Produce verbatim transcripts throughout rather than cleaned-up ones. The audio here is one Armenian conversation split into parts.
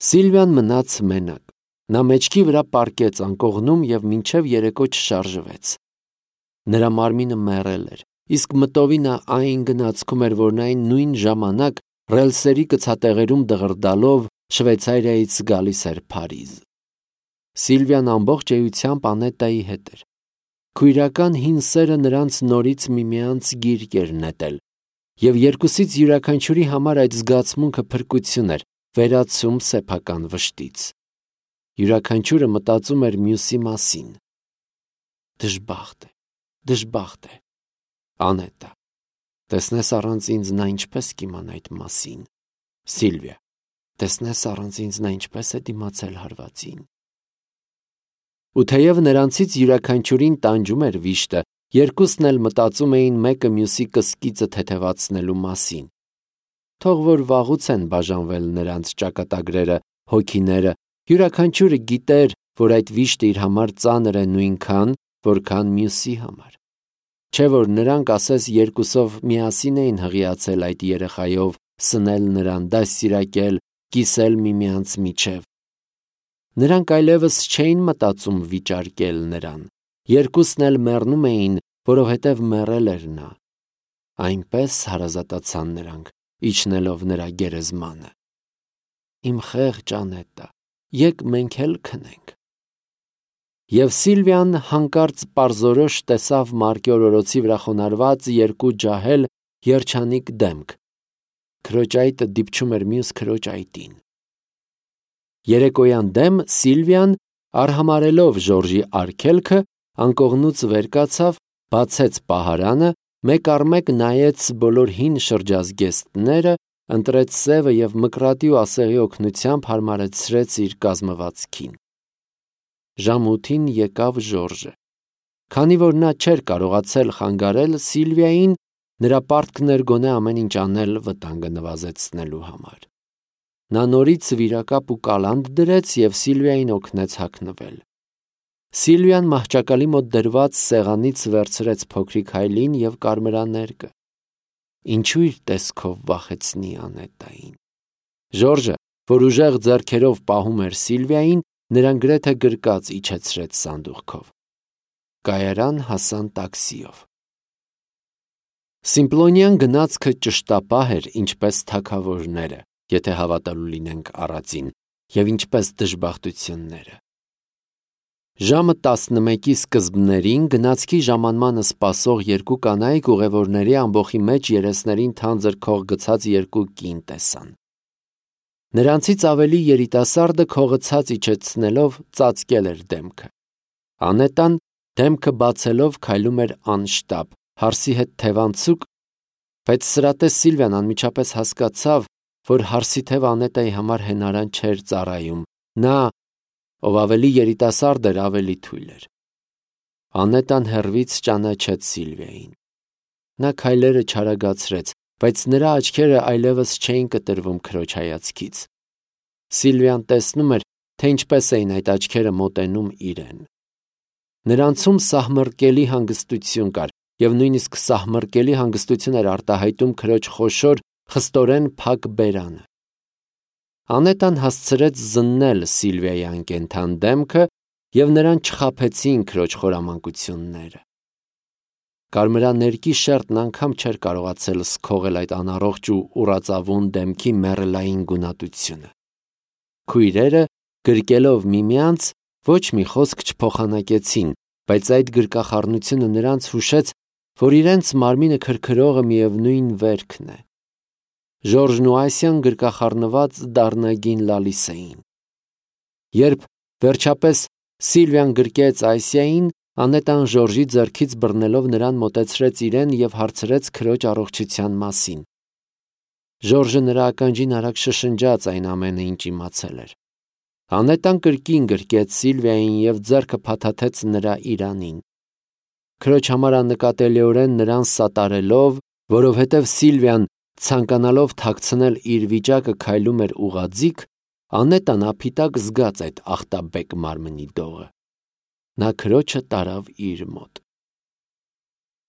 Սիլվիան մնաց մենակ, նա մեջքի վրա պառկեց անկողնում և մինչև երեկո չշարժվեց։ Նրա մարմինը մեռել էր, իսկ մտովի նա այն գնացքում էր, որ նա այն նույն ժամանակ ռելսերի կցատեղերում դղրդալով Շվեյցարիայից գալիս էր Փարիզ։ Սիլվիան ամբողջ էությամբ Անետայի հետ էր։ Քույրական հին սերը նրանց նորից միմյանց գիրկ էր նետել, և երկուսից յուրաքանչյուրի համար այդ զգացմունքը փրկություն էր, վերացում սեփական վշտից։ Յուրաքանչյուրը մտածում էր մյուսի մասին։ Դժբախտ է, դժբախտ է, Անետա, տեսնես առանց ինձ նա ինչպես կիմանա այդ մասին։ Սիլվիա, տեսնես առանց ինձ նա ինչպես է դիմացել հարվածին։ Ու թեև նրանցից յուրաքանչյուրին տանջում էր վիշտը, երկուսն էլ մտածում էին մեկը մյուսի կսկիծը թեթևացնելու մասին։ Թող որ վաղուց են բաժանվել նրանց ճակատագրերը, հոգիները, յուրաքանչյուրը գիտեր, որ այդ վիշտը իր համար ծանր է նույնքան, որքան մյուսի համար։ Չէ՞ որ նրանք ասես երկուսով միասին էին հղիացել այդ երեխայով, սնել նրան, դաստիարակել, կիսել միմյանց միջև։ Նրանք այլևս չէին մտածում վիճարկել նրան, երկուսն էլ մեռնում էին, որովհետև մեռել էր նա։ Այնպես հարազատացան նրանք, իջնելով նրա գերեզմանը։ Իմ խեղճ Անետա, եկ մենք էլ քնենք։ Եվ Սիլվիան հանկարծ պարզորոշ տեսավ մարկե օրորոցի վրա խոնարհված երկու ջահել երջանիկ դեմք։ Քրոջ այտը դիպչում էր մյուս քրոջ այտին։ Երեկոյան դեմ Սիլվիան, արհամարհելով Ժորժի արգելքը, անկողնուց վեր կացավ, բացեց պահարանը, մեկ առ մեկ նայեց բոլոր հին շրջազգեստները, ընտրեց սևը և մկրատի ու ասեղի օգնությամբ հարմարեցրեց իր կազմվածքին։ Ժամը ութին եկավ Ժորժը։ Քանի որ նա չէր կարողացել խանգարել Սիլվիային, նրա պարտքն էր գոնե ամեն ինչ անել վտանգը նվազեցնելու համար։ Նա նորից վիրակապ ու կալանդ դրեց և Սիլվիային օգնեց հագնվել։ Սիլվիան մահճակալի մոտ դրված սեղանից վերցրեց փոքրիկ հայելին և կարմրաներկը։ Ինչու իր տեսքով վախեցնի Անետային։ Ժորժը, որ ուժեղ ձեռքերով պահում էր Սիլվիային, նրան գրեթե գրկած իջեցրեց սանդուղքով։ Կայարան հասան տաքսիով։ Սիմպլոնյան գնացքը ճշտապահ էր, ինչպես թագավորները, եթե հավատալու լինենք առածին, և ինչպես դժբախտությունները։ Ժամը տասնմեկի սկզբներին գնացքի ժամանմանը սպասող երկու կանայք ուղևորների ամբոխի մեջ երեսներին թանձր քող գցած երկու կին տեսան։ Նրանցից ավելի երիտասարդը քողը ցած իջեցնելով ծածկել էր դեմքը։ Անետան դեմքը բացելով քայլում էր անշտապ, հարսի հետ թևանցուկ, բայց սրատես Սիլվիան անմիջապես հասկացավ, որ հարսի թևը Անետայի համար հենարան չէր ծառայում։ Նա, ով ավելի երիտասարդ էր, ավելի թույլ էր։ Անետան հեռվից ճանաչեց Սիլվիային։ Նա քայլերը չարագացրեց, բայց նրա աչքերը այլևս չէին կտրվում քրոջ հայացքից։ Սիլվիան տեսնում էր, թե ինչպես էին այդ աչքերը մոտենում իրեն։ Նրանցում սահմռկելի հանգստություն կար, և նույնիսկ սահմռկելի հանգստություն էր արտահայտում քրոջ խոշոր, խստորեն փակ բերանը։ Անետան հասցրեց զննել Սիլվիայի անկենդան դեմքը, և նրան չխաբեցին քրոջ խորամանկությունները։ Կարմրաներկի շերտն անգամ չէր կարողացել սքողել այդ անառողջ ու ուռածավուն դեմքի մեռելային գունատությունը։ Քույրերը, գրկելով միմյանց, ոչ մի խոսք չփոխանակեցին, բայց այդ գրկախառնությունը նրանց հուշեց, որ իրենց մարմինը քրքրողը միևնույն վերքն է։ Ժորժն ու Ասիան գրկախառնված դառնագին լալիս էին։ Երբ վերջապես Սիլվիան գրկեց Ասիային, Անետան Ժորժի ձեռքից բռնելով նրան մոտեցրեց իրեն և հարցրեց քրոջ առողջության մասին։ Ժորժը նրա ականջին արագ շշնջաց այն ամենը, ինչ իմացել էր։ Անետան կրկին գրկեց Սիլվիային և ձեռքը փաթաթեց նրա իրանին։ Քրոջ համար աննկատելիորեն նրան սատարելով, որովհետև Սիլվիան, ցանկանալով թաքցնել իր վիճակը, քայլում էր ուղղաձիգ, Անետան ափիտակ զգաց այդ ախտաբեկ մարմնի դողը։ Նա քրոջը տարավ իր մոտ։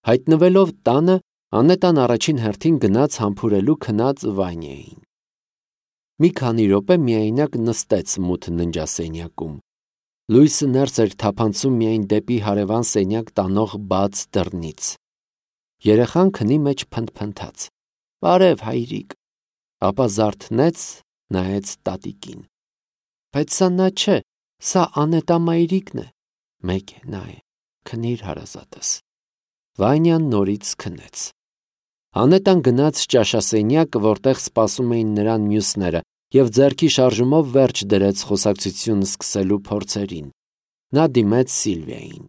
Հայտնվելով տանը, Անետան առաջին հերթին գնաց համբուրելու քնած Վանյային։ Մի քանի րոպե միայնակ նստեց մութ ննջասենյակում։ Լույսը ներս էր թափանցում միայն դեպի հարևան սենյակ տանող բաց դռնից։ Երեխան քնի մեջ փնթփնթաց. «Բարև, հայրիկ», ապա զարթնեց, նայեց տատիկին։ «Բայց սա նա չէ, սա Անետա մայրիկն է»։ «Մեկ է, նա է, քնիր հարազատս»։ Վանյան նորից քնեց։ Անետան գնաց ճաշասենյակ, որտեղ սպասում էին նրան մյուսները, և ձեռքի շարժումով վերջ դրեց խոսակցություն սկսելու փորձերին։ Նա դիմեց Սիլվիային։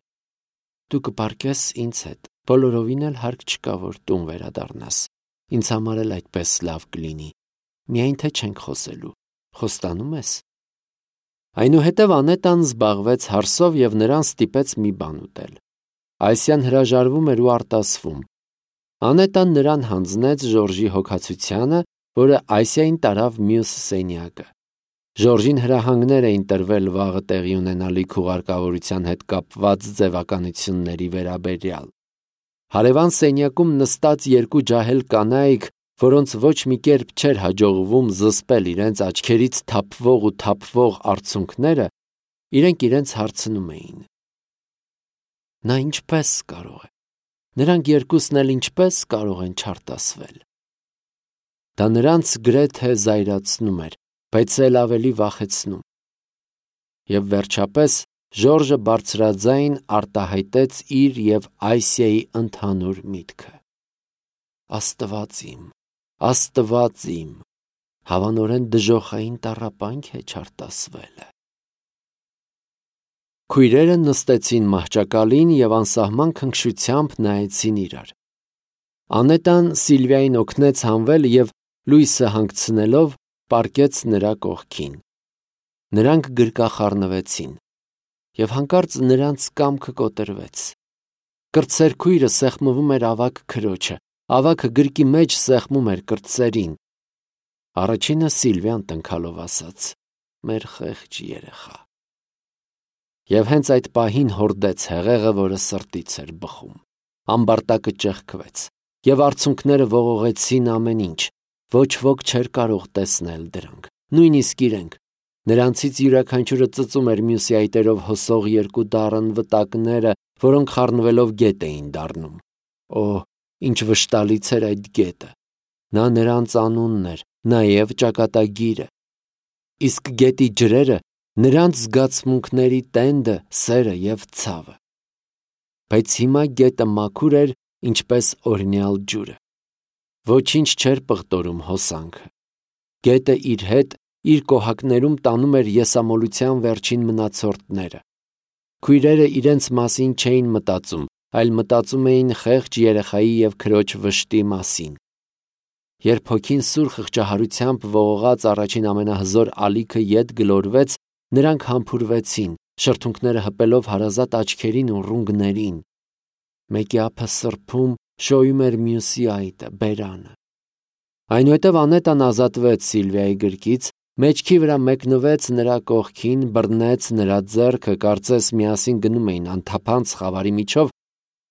«Դու կպարկես ինձ հետ, բոլորովին էլ հարկ չկա, որ տուն վերադառնաս։ Ինձ համար էլ այդպես լավ կլինի։ Միայն թե չենք խոսելու։ Խոստանում ես»։ Այնուհետև Անետան զբաղվեց հարսով և նրան ստիպեց մի բան ուտել։ Այսյան հրաժարվում էր ու արտասվում։ Անետան նրան հանձնեց Ժորժի հոգացությանը, որը Այսիային տարավ մյուս սենյակը։ Ժորժին հրահանգներ էին տրվել վաղը տեղի ունենալիք ուղարկավորության հետ կապված ձևականությունների վերաբերյալ։ Հարևան սենյակում նստած երկու ջահել կանայք, որոնց ոչ մի կերպ չէր հաջողվում զսպել իրենց աչքերից թափվող ու թափվող արցունքները, իրենք իրենց հարցնում էին. «Նա ինչպե՞ս կարող է։ Նրանք երկուսն էլ ինչպե՞ս կարող են չարտասվել»։ Դա նրանց գրեթե զայրացնում էր, բայց էլ ավելի վախեցնում։ Եվ վերջապես Ժորժը բարձրաձայն արտահայտեց իր և Այսիայի ընդհանուր միտքը. «Աստված իմ, Աստված իմ, հավանորեն դժոխային տառապանք է չարտասվելը»։ Քույրերը նստեցին մահճակալին և անսահման քնքշությամբ նայեցին իրար։ Անետան Սիլվիային օգնեց հանվել և լույսը հանգցնելով պառկեց նրա կողքին։ Նրանք գրկախառնվեցին, և հանկարծ նրանց կամքը կոտրվեց։ Կրտսեր քույրը սեղմվում էր ավագ քրոջը, ավագը գրկի մեջ սեղմում էր կրտսերին։ Առաջինը Սիլվիան տնքալով ասաց. «Մեր խեղճ երեխա»։ Եվ հենց այդ պահին հորդեց հեղեղը, որը սրտից էր բխում։ Ամբարտակը ճեղքվեց, և արցունքները ողողեցին ամեն ինչ։ Ոչ ոք չէր կարող տեսնել դրանք, նույնիսկ իրենք։ Նրանցից յուրաքանչյուրը ծծում էր մյուսի այտերով հոսող երկու դառն վտակները, որոնք խառնվելով գետ էին դառնում։ Օ՜, ինչ վշտալից էր այդ գետը։ Նա նրանց անունն էր, նաև ճակատագիրը։ Իսկ գետի ջրերը նրանց զգացմունքների տենդը, սերը և ցավը։ Բայց հիմա գետը մաքուր էր, ինչպես օրհնյալ ջուրը։ Ոչինչ չէր պղտորում հոսանքը։ Գետը իր հետ իր կոհակներում տանում էր եսամոլության վերջին մնացորդները։ Քույրերը իրենց մասին չէին մտածում, այլ մտածում էին խեղճ երեխայի և քրոջ վշտի մասին։ Երբ հոգին սուր խղճահարությամբ ողողած առաջին ամենահզոր ալիքը ետ գլորվեց, նրանք համբուրվեցին, շրթունքները հպելով հարազատ աչքերին ու ռունգներին։ Մեկի ափը սրբում շոյում էր մյուսի այտը, բերանը։ Այնուհետև Անետան ազատվեց Սիլվիայի գրկից, մեջքի վրա մեկնվեց նրա կողքին, բռնեց նրա ձեռքը, կարծես միասին գնում էին անթափանց խավարի միջով,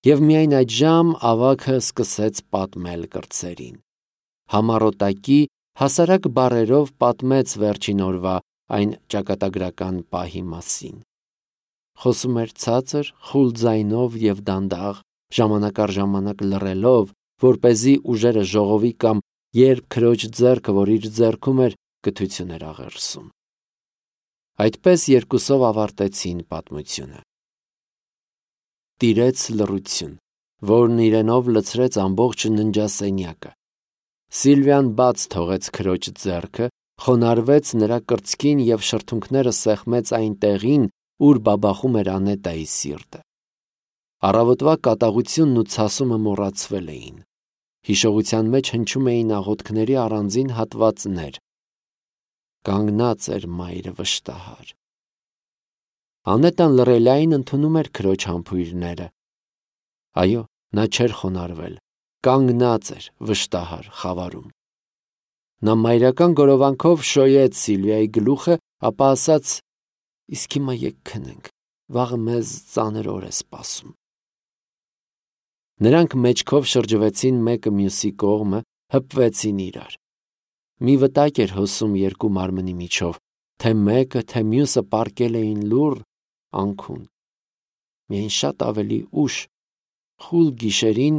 և միայն այդժամ ավագը սկսեց պատմել կրտսերին։ Համառոտակի, հասարակ բառերով պատմեց վերջին օրվա այն ճակատագրական պահի մասին։ Խոսում էր ցածր, խուլ ձայնով և դանդաղ, ժամանակ առ ժամանակ լռելով, որպեսզի ուժերը ժողովի կամ երբ քրոջ ձեռքը, որ իր ձեռքում էր, կթություն էր աղերսում։ Այդպես երկուսով ավարտեցին պատմությունը։ Տիրեց լռություն, որն իրենով լցրեց ամբողջ ննջասենյակը։ Սիլվիան բաց թողեց քրոջ ձեռքը, խոնարհվեց նրա կրծքին և շրթունքները սեղմեց այն տեղին, ուր բաբախում էր Անետայի սիրտը։ Առավոտվա կատաղությունն ու ցասումը մոռացվել էին։ Հիշողության մեջ հնչում էին աղոթքների առանձին հատվածներ։ Կանգնած էր մայրը վշտահար։ Անետան լռելիային ընդունում էր քրոջ համբույրները։ Այո, նա չէր խոնարհվել, կանգնած էր վշտահար խավարում։ Նա մայրական գորովանքով շոյեց Սիլվիայի գլուխը, ապա ասաց. «Իսկ հիմա եկ քնենք, վաղը մեզ ծանր օր է սպասում»։ Նրանք մեջքով շրջվեցին մեկը մյուսի կողմը, հպվեցին իրար։ Մի վտակ էր հոսում երկու մարմնի միջով, թե մեկը, թե մյուսը պառկել էին լուռ անքուն։ Միայն շատ ավելի ուշ, խուլ գիշերին,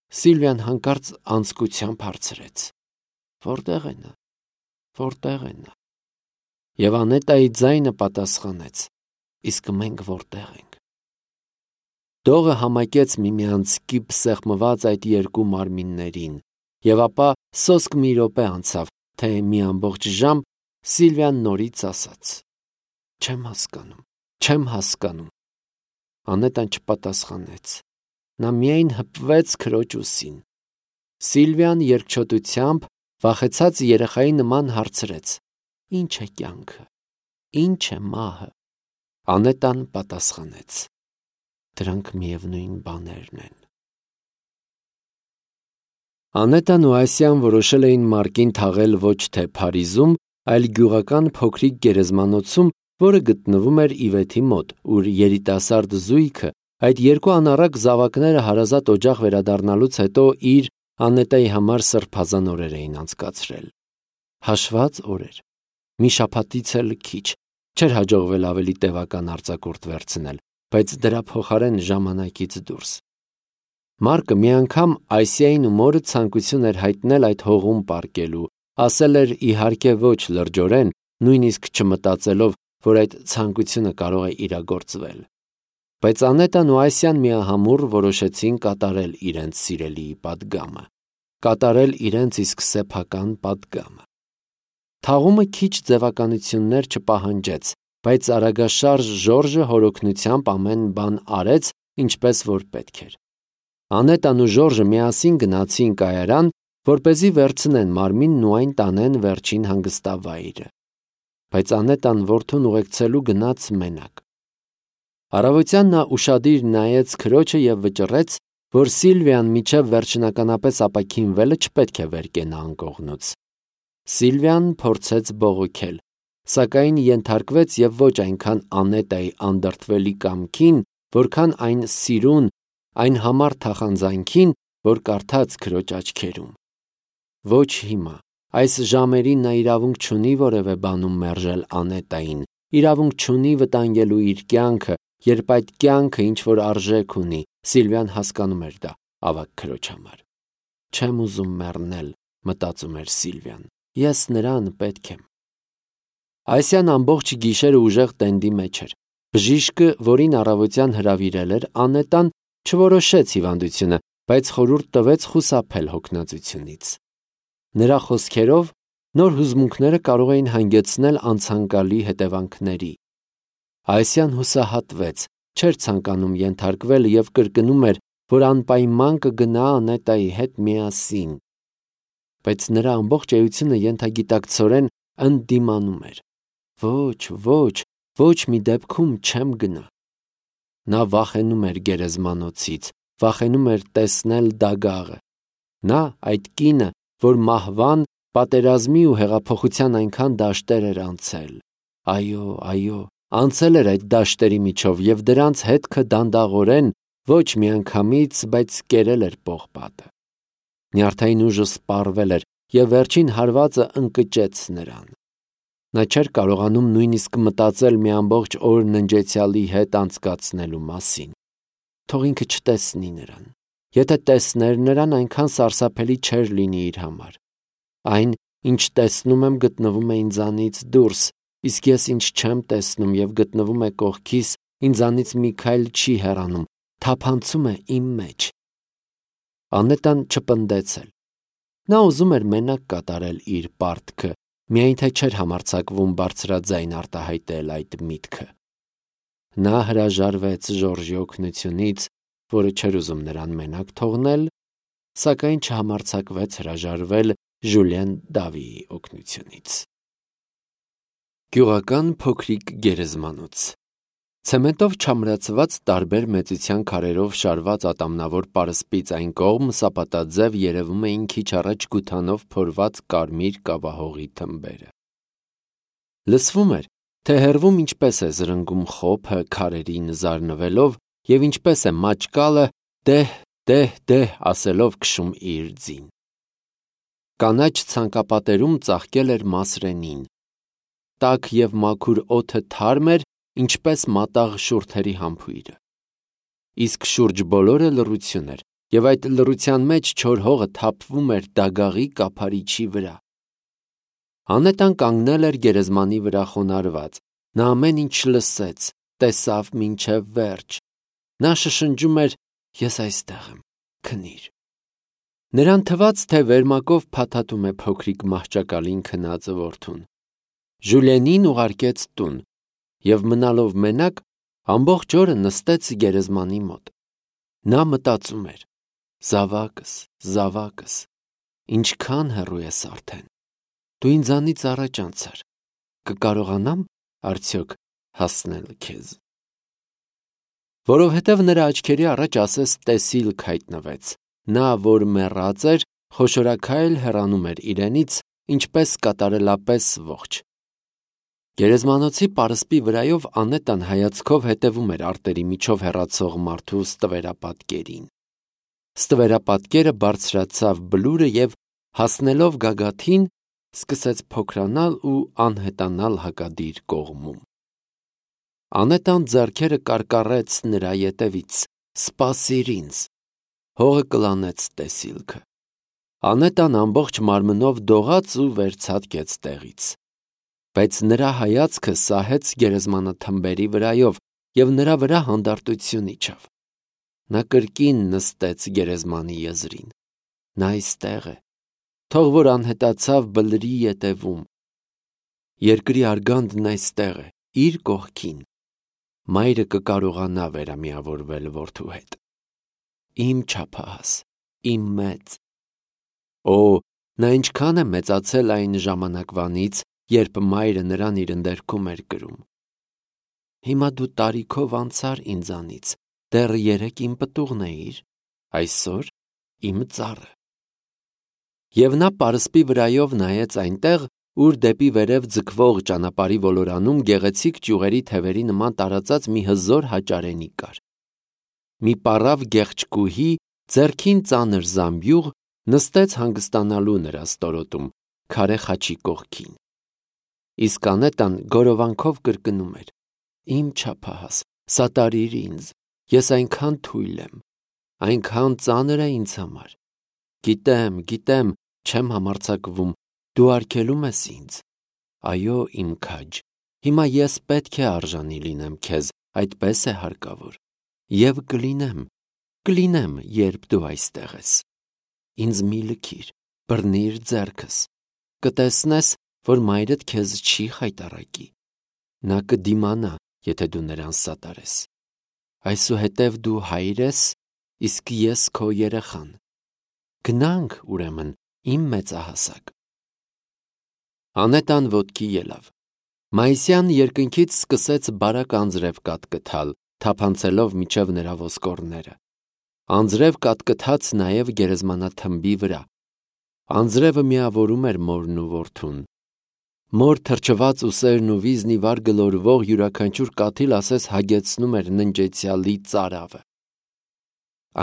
Սիլվիան հանկարծ անձկությամբ հարցրեց. «Որտե՞ղ է նա, որտե՞ղ է նա»։ Եվ Անետայի ձայնը պատասխանեց. «Իսկ մենք որտե՞ղ ենք»։ Դողը համակեց միմյանց կիպ սեղմված այդ երկու մարմիններին, եւ ապա սոսկ մի րոպե անցավ, թե մի ամբողջ ժամ Սիլվիան նորից ասաց. «Չեմ հասկանում, չեմ հասկանում»։ Անետան չպատասխանեց։ Նա միայն հպվեց քրոջ ուսին։ Սիլվիան երկչոտությամբ, վախեցած երեխայի նման հարցրեց. «Ինչ է կյանքը, ինչ է մահը»։ Անետան պատասխանեց. «Դրանք միևնույն բաներն են»։ Անետան ու Ասիան որոշել էին Մարկին թաղել ոչ թե Փարիզում, այլ գյուղական փոքրիկ գերեզմանոցում, որը գտնվում էր Իվեթի մոտ, ուր երիտասարդ զույգը այդ երկու անառակ զավակները հարազատ օջախ վերադառնալուց հետո իր Անետայի համար սրբազան օրեր էին անցկացրել։ Հաշված օրեր։ Մի շաբաթից էլ քիչ, չէր հաջողվել ավելի տևական արձակուրդ վերցնել, բայց դրա փոխարեն ժամանակից դուրս։ Մարկը մի անգամ Ասիային ու մորը ցանկություն էր հայտնել այդ հողում պառկելու, ասել էր իհարկե ոչ լրջորեն, նույնիսկ չմտածելով, որ այդ ցանկությունը կարող է իրագործվել։ Բայց Անետան ու Ասիան միահամուռ որոշեցին կատարել իրենց սիրելիի պատգամը, կատարել իրենց իսկ սեփական պատգամը։ Թաղումը քիչ ձևականություններ չպահանջեց, բայց արագաշարժ Ժորժը հորօգնությամբ ամեն բան արեց, ինչպես որ պետք էր։ Անետան ու Ժորժը միասին գնացին կայարան, որպեսզի վերցնեն մարմինն ու այն տանեն վերջին հանգստավայրը։ Բայց Անետան որդուն ուղեկցելու գնաց մենակ։ Առավոտյան նա ուշադիր նայեց քրոջը եւ վճռեց, որ Սիլվիան միջև վերջնականապես ապաքինվելը չպետք է վեր կենա անկողնուց։ Սիլվիան փորձեց բողոքել, սակայն ենթարկվեց եւ ոչ այնքան Անետայի անդրդվելի կամքին, որքան այն սիրուն, այն համառ թախանձանքին, որ կարդաց քրոջ աչքերում։ Ոչ հիմա, այս ժամերին նա իրավունք չունի որևէ բանում մերժել Անետային, իրավունք չունի վտանգելու իր կյանքը, երբ այդ կյանքը ինչ որ արժեք ունի։ Սիլվիան հասկանում էր դա ավագ քրոջ համար։ Չեմ ուզում մեռնել, մտածում էր Սիլվիան, ես նրան պետք եմ։ Ասիան ամբողջ գիշերը ուժեղ տենդի մեջ էր։ Բժիշկը, որին առավոտյան հրավիրել էր, Անետան չորոշեց հիվանդությունը, բայց խորհուրդ տվեց խուսափել հոգնածությունից։ Նրա խոսքերով, նոր հուզմունքները կարող էին հանգեցնել անցանկալի հետևանքների։ Ասիան հուսահատվեց, չէր ցանկանում ենթարկվել եւ կրկնում էր, որ անպայման կգնա Անետայի հետ միասին։ Բայց նրա ամբողջ էությունը ենթագիտակցորեն ընդդիմանում էր։ Ոչ, ոչ, ոչ մի դեպքում չեմ գնա։ Նա վախենում էր գերեզմանոցից, վախենում էր տեսնել դագաղը։ Նա, այդ կինը, որ մահվան, պատերազմի ու հեղափոխության այնքան դաշտեր էր անցել։ Այո, այո, անցել էր այդ դաշտերի միջով եւ դրանց հետքը դանդաղորեն, ոչ միանգամից, բայց կերել էր պողպատը։ Նյարդային ուժը սպառվել էր եւ վերջին հարվածը ընկճեց նրան։ Նա չէր կարողանում նույնիսկ մտածել մի ամբողջ օր ննջեցյալի հետ անցկացնելու մասին։ Թող ինքը չտեսնի նրան։ Եթե տեսներ նրան, այնքան սարսափելի չէր լինի իր համար։ Այն, ինչ տեսնում եմ, գտնվում է ինձանից դուրս, իսկ ես ինչ չեմ տեսնում եւ գտնվում է կողքիս, ինձանից մի քայլ չի հեռանում, թափանցում է իմ մեջ։ Անետան չպնդեցել։ Նա ուզում էր մենակ կատարել իր պարտքը, միայն թե չէր համարձակվում բարձրաձայն արտահայտել այդ միտքը։ Նա հրաժարվեց Ժորժի օգնությունից, որը չէր ուզում նրան մենակ թողնել, սակայն չհամարձակվեց հրաժարվել Ժուլիեն Դավիի օգնությունից։ Գյուղական փոքրիկ գերեզմանոց։ Ցեմենտով չամրացված տարբեր մեծության քարերով շարված ատամնավոր պարսպից այն կողմ սապատաձև երևում էին քիչ առաջ գութանով փորված կարմիր կավահողի թմբերը։ Լսվում էր, թե հեռվում ինչպես է զրնգում խոփը քարերին զարնվելով եւ ինչպես է մաճկալը դեհ, դեհ, դեհ ասելով քշում իր ձին։ կանաչ ցանկապատերում ծաղկել էր Մասրենին։ Տաք և մաքուր օդը թարմ էր, ինչպես մատաղ շուրթերի համբույրը։ Իսկ շուրջ բոլորը լռություն էր, և այդ լռության մեջ չոր հողը թափվում էր դագաղի կափարիչի վրա։ Անետան կանգնել էր գերեզմանի վրա խոնարհված, նա ամեն ինչ լսեց, տեսավ մինչև վերջ։ Նա շշնջում էր. «Ես այստեղ եմ, քնիր»։ Նրան թվաց, թե վերմակով փաթաթում է փոքրիկ մահճակալին քնած որդուն։ Ժուլիենին ուղարկեց տուն, և մնալով մենակ, ամբողջ օրը նստեց գերեզմանի մոտ։ Նա մտածում էր. «Զավակս, զավակս, ինչքան հեռու ես արդեն։ Դու ինձանից առաջ անցար, կկարողանա՞մ արդյոք հասնել քեզ»։ Որովհետև նրա աչքերի առաջ ասես տեսիլք հայտնվեց։ Նա, որ մեռած էր, խոշորաքայլ հեռանում էր իրենից, ինչպես կատարելապես ողջ։ Գերեզմանոցի պարսպի վրայով Անետան հայացքով հետևում էր արտերի միջով հեռացող մարդու ստվերապատկերին։ Ստվերապատկերը բարձրացավ բլուրը և, հասնելով գագաթին, սկսեց փոքրանալ ու անհետանալ հակադիր կողմում։ Անետան ձեռքերը կարկառեց նրա ետևից. «Սպասիր ինձ»։ Հողը կլանեց տեսիլքը։ Անետան ամբողջ մարմնով դողաց ու վերցատկեց տեղից։ Բայց նրա հայացքը սահեց գերեզմանաթմբերի վրայով, և նրա վրա հանդարտություն իջավ։ Նա կրկին նստեց գերեզմանի եզրին։ Նա այստեղ է, թող որ անհետացավ բլրի ետևում։ Երկրի արգանդն այստեղ է, իր կողքին։ Մայրը կկարողանա վերամիավորվել որդու հետ։ Իմ չափահաս, իմ մեծ։ Օ, նա ինչքան է մեծացել այն ժամանակվանից, երբ մայրը նրան իր ընդերքում էր կրում։ Հիմա դու տարիքով անցար ինձանից, դեռ երեկ իմ պտուղն էիր, այսօր իմ ծառը։ Եվ նա պարսպի վրայով նայեց այնտեղ, ուր դեպի վերև ձգվող ճանապարհի ոլորանում գեղեցիկ ճյուղերի թևերի նման տարածած մի հզոր հաճարենի կար։ Մի պառավ գեղեցկուհի, ձեռքին ծանր զամբյուղ, նստեց հանգստանալու նրա ստորոտում, քարե խաչի կողքին։ Իսկ Անետան գորովանքով կրկնում էր. «Իմ չափահաս, սատարիր ինձ, ես այնքան թույլ եմ, այնքան ծանր է ինձ համար։ Գիտեմ, գիտեմ, չեմ համարձակվում, դու արգելում ես ինձ։ Այո, իմ քաջ, հիմա ես պետք է արժանի լինեմ քեզ, այդպես է հարկավոր։ Եվ կլինեմ, կլինեմ, երբ դու այստեղ ես։ Ինձ մի լքիր, բռնիր ձեռքս, կտեսնես, որ մայրդ քեզ չի խայտառակի։ Նա կդիմանա, եթե դու նրան սատարես։ Այսուհետև դու հայր ես, իսկ ես քո երեխան։ Գնանք, ուրեմն, իմ մեծահասակ»։ Անետան ոտքի ելավ։ Մայիսյան երկնքից սկսեց բարակ անձրև կատկթալ, թափանցելով միջև նրա ոսկորները։ Անձրև կատկթաց նաև գերեզմանաթմբի վրա։ Անձրևը միավորում էր մորն ու որդուն։ Մոր թրջված ուսերն ու վիզն ի վար գլորվող յուրաքանչյուր կաթիլ ասես հագեցնում էր ննջեցյալի ծարավը։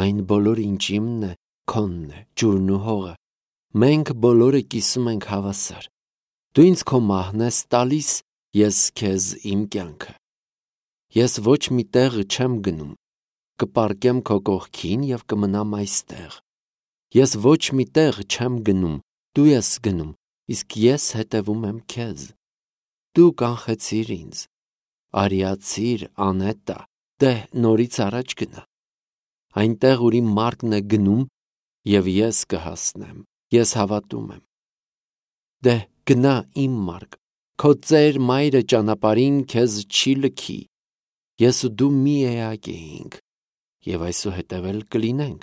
Այն բոլորը, ինչ իմն է, քոնն է, ջուրն ու հողը։ Մենք բոլորը կիսում ենք հավասար։ Դու ինձ քո մահն ես տալիս, ես քեզ իմ կյանքը։ Ես ոչ մի տեղ չեմ գնում, կպառկեմ քո կողքին և կմնամ այստեղ։ Ես ոչ մի տեղ չեմ գնում, դու ես գնում, իսկ ես հետևում եմ քեզ։ Դու կանխեցիր ինձ, արիացիր, Անետա, դե նորից առաջ գնա։ Այնտեղ, ուր իմ մարկն է գնում, և ես կհասնեմ, ես հավատում եմ։ Դե գնա իմ մարկ, քո ծեր մայրը ճանապարհին քեզ չի լքի։ Ես ու դու մի էակ էինք, և այսուհետև էլ կլինենք։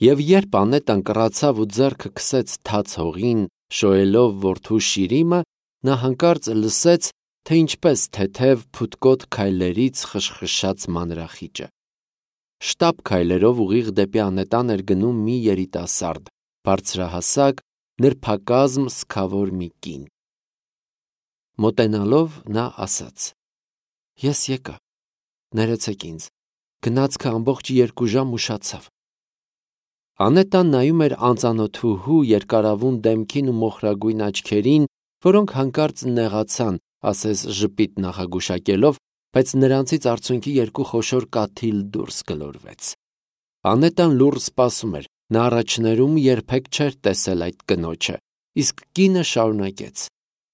Եվ երբ Անետան կռացավ ու ձեռքը քսեց թաց հողին, շոյելով որդու շիրիմը, նա հանկարծ լսեց, թե ինչպես թեթև փութկոտ քայլերից խշխշաց մանրախիճը։ Շտապ քայլերով ուղիղ դեպի Անետան էր գնում մի երիտասարդ, բարձրահասակ, նրբակազմ սգավոր մի կին։ Մոտենալով նա ասաց. «Ես եկա, ներեցեք ինձ, գնացքը ամբողջ երկու ժամ ուշացավ»։ Անետան նայում էր անծանոթուհու երկարավուն դեմքին ու մոխրագույն աչքերին, որոնք հանկարծ նեղացան, ասես ժպիտ նախագուշակելով, բայց նրանցից արցունքի երկու խոշոր կաթիլ դուրս գլորվեց։ Անետան լուռ սպասում էր, նա առաջներում երբեք չէր տեսել այդ կնոջը, իսկ կինը շարունակեց.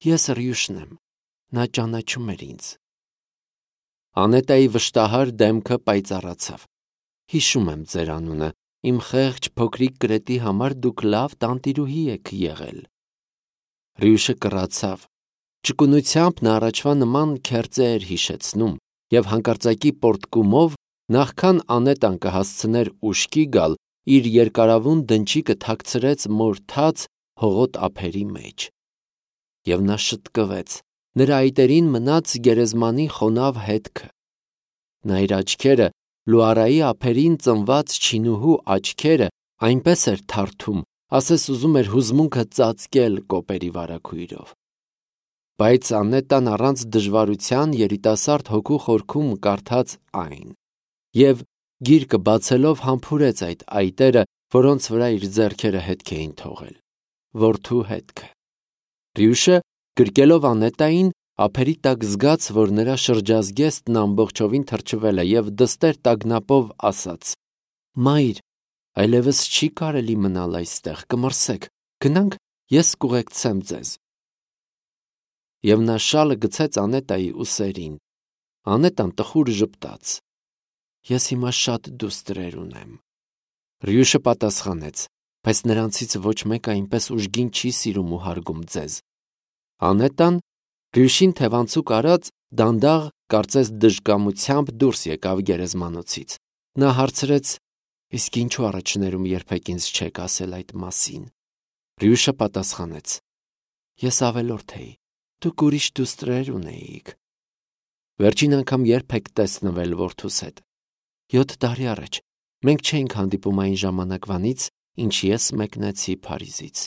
Ես Ռյուշն եմ, նա ճանաչում էր ինձ։ Անետայի վշտահար դեմքը պայծառացավ։ Հիշում եմ ձեր անունը, իմ խեղճ փոքրիկ կրետի համար դուք լավ տանտիրուհի եք եղել։ Ռյուշը կռացավ։ Ճկունությամբ նա առաջվա նման քերծե էր հիշեցնում, եւ հանկարծակի պոռթկումով, նախքան Անետան կհասցներ ուշքի գալ, իր երկարավուն դնչիկը թաքցրեց մորթած հողոտ ափերի մեջ։ Եվ նա շտկվեց, նրա այտերին մնաց գերեզմանի խոնավ հետքը։ Նա իր աչքերը, Լուարայի ափերին ծնված չինուհու աչքերը, այնպես էր թարթում, ասես ուզում էր հուզմունքը ծածկել կոպերի վարագույրով։ Բայց Անետան առանց դժվարության երիտասարդ հոգու խորքում կարդաց այն, եւ գիրկը բացելով համբուրեց այդ այտերը, որոնց վրա իր ձեռքերը հետք էին թողել։ Որդու հետքը։ Ռյուշը, գրկելով Անետային, ափերի տակ զգաց, որ նրա շրջազգեստն ամբողջովին թրջվել է եւ դստեր տագնապով ասաց. Մայր, այլևս չի կարելի մնալ այստեղ, կմրսեք, գնանք, ես կուղեկցեմ ձեզ։ Եվ նա շալը գցեց Անետայի ուսերին։ Անետան տխուր ժպտաց. Ես հիմա շատ դուստրեր ունեմ։ Ռյուշը պատասխանեց. բայց նրանցից ոչ մեկը այնպես ուժգին չի սիրում ու հարգում ձեզ։ Անետան, Ռյուշին թևանցուկ արած, դանդաղ, կարծես դժկամությամբ դուրս եկավ գերեզմանոցից։ Նա հարցրեց. իսկ ինչու առաջներում երբեք ինձ չեք ասել այդ մասին։ Ռյուշը պատասխանեց. ես ավելորդ էի, դուք ուրիշ դուստրեր ունեիք։ Վերջին անգամ երբ եք տեսնվել որդուս հետ։ Յոթ տարի առաջ, մենք չէինք հանդիպում այն ժամանակվանից, ինչ ես մեկնեցի Փարիզից։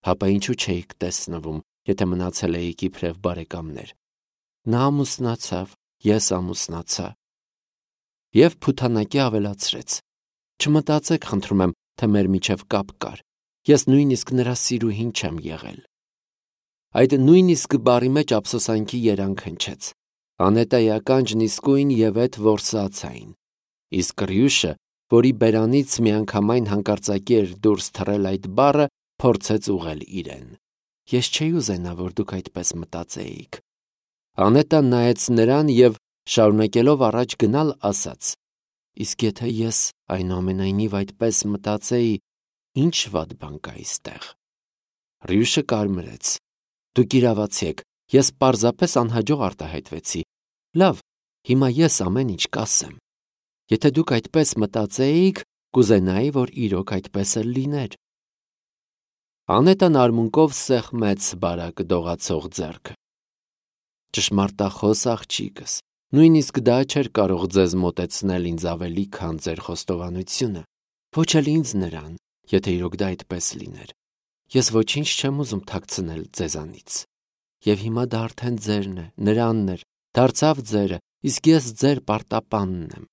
Հապա ինչու չէիք տեսնվում, եթե մնացել էիք իբրև բարեկամներ։ Նա ամուսնացավ, ես ամուսնացա։ Եվ փութանակի ավելացրեց. չմտածեք, խնդրում եմ, թե մեր միջև կապ կար։ Ես նույնիսկ նրա սիրուհին չեմ եղել։ Այդ նույնիսկ բառի մեջ ափսոսանքի երանգ հնչեց։ Անետայի ականջն իսկույն եւ այդ որսացային։ Իսկ Ռյուշը, որի բերանից միանգամայն հանկարծակի էր դուրս թռել այդ բառը, փորձեց ուղղել իրեն։ Ես չէի ուզենա, որ դուք այդպես մտածեիք։ Անետան նայեց նրան եւ, շարունակելով առաջ գնալ, ասաց. իսկ եթե ես այնուամենայնիվ այդպես մտածեի, ինչ վատ բան կա այստեղ։ Ռյուշը կարմրեց. դուք իրավացի եք, ես պարզապես անհաջող արտահայտվեցի։ Լավ, հիմա ես ամեն ինչ կասեմ։ Եթե դուք այդպես մտածեիք, կուզենայի, որ իրոք այդպես էլ լիներ։ Անետան արմունկով սեղմեց բարակ դողացող ձեռքը։ Ճշմարտախոս աղջիկս, նույնիսկ դա չէր կարող ձեզ մոտեցնել ինձ ավելի, քան ձեր խոստովանությունը, ոչ էլ ինձ նրան, եթե իրոք դա այդպես լիներ։ Ես ոչինչ չեմ ուզում թաքցնել ձեզանից։ Եվ հիմա դա արդեն ձերն է, նրանն էր, դարձավ ձերը, իսկ ես ձեր պարտապանն եմ։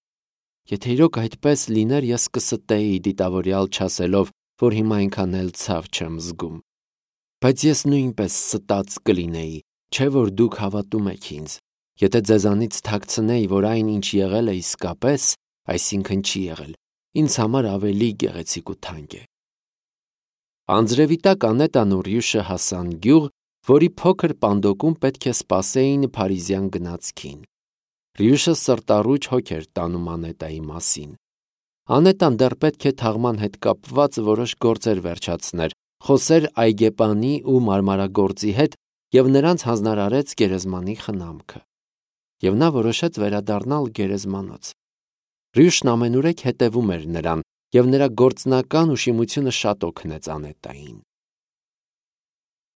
Եթե իրոք այդպես լիներ, ես կստեի դիտավորյալ չասելով, որ հիմա այնքան էլ ցավ չեմ զգում։ Բայց ես նույնպես ստած կլինեի, չէ՞ որ դուք հավատում եք ինձ։ Եթե ձեզանից թաքցնեի, որ այն, ինչ եղել է իսկապես, այսինքն չի եղել, ինձ համար ավելի գեղեցիկ ու թանկ է։ Անձրևի տակ Անետան ու Ռյուշը հասան գյուղ, որի փոքր պանդոկում պետք է սպասեին փարիզյան գնացքին։ Ռյուշը սրտառուչ հոգ էր տանում Անետայի մասին։ Անետան դեռ պետք է թաղման հետ կապված որոշ գործեր վերջացներ, խոսեր այգեպանի ու մարմարագործի հետ եւ նրանց հանձնարարեց գերեզմանի խնամքը։ Եվ նա որոշեց վերադառնալ գերեզմանոց։ Ռյուշն ամենուրեք հետևում էր նրան, եւ նրա գործնական ուշիմությունը շատ օգնեց Անետային։